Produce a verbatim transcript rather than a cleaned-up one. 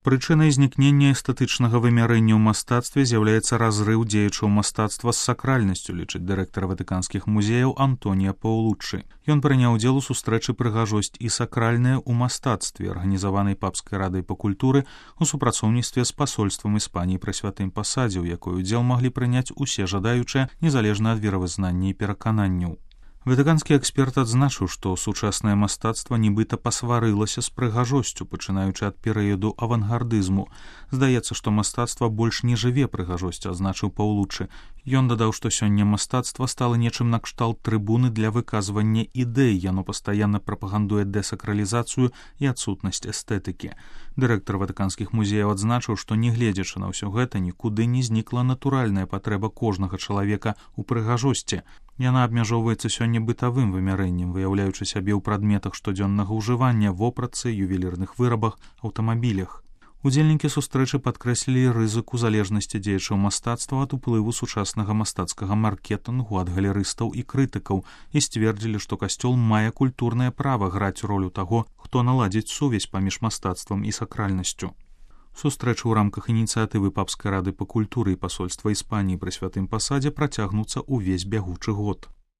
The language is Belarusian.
Прычынай знікнення эстэтычнага вымярэння ў мастацтве з'яўляецца разрыў дзеячаў мастацтва з сакральнасцю, лічыць дырэктар ватыканскіх музеяў Антонія Паулуччы. Ён прыняў удзел у сустрэчы «Прыгажосць і сакральнае ў мастацтве», арганізаванай Папскай радай па культуры у супрацоўніцтве з пасольствам Іспаніі пры святым пасадзе, у якой удзел маглі прыняць усе жадаючыя, незалежна ад веравызнання і перакананняў. Ватыканскі эксперт адзначыў, што сучаснае мастацтва нібыта пасварылася з прыгажосцю, пачынаючы ад перыяду авангардызму. Здаецца, што мастацтва больш не жыве прыгажосцю, адзначыў Паулуччы. Ён дадаў, што сёння мастацтва стала нечым накшталт трыбуны для выказвання ідэй, яно пастаянна прапагандуе дэсакралізацыю і адсутнасць эстэтыкі. Дырэктар ватыканскіх музеяў адзначыў, што нягледзячы на ўсё гэта, нікуды не знікла натуральная патрэба кожнага чалавека ў прыгажосці. Яна абмяжоўваецца сёння бытавым вымярэннем, выяўляючы сябе ў прадметах штодзённага ўжывання, вопратцы, ювелірных вырабах, аўтамабілях. Удзельнікі сустрэчы падкрэслілі рызыку залежнасці дзеячаў мастацтва ад уплыву сучаснага мастацкага маркетынгу, ад галерыстаў і крытыкаў і сцвердзілі, што касцёл мае культурнае права граць ролю таго, хто наладзіць сувязь паміж мастацтвам і сакральнасцю. Сустрэчы ў рамках ініцыятывы Папскай рады па культуры і пасольства Іспаніі пры святым пасадзе працягнуцца ўвесь бягучы год.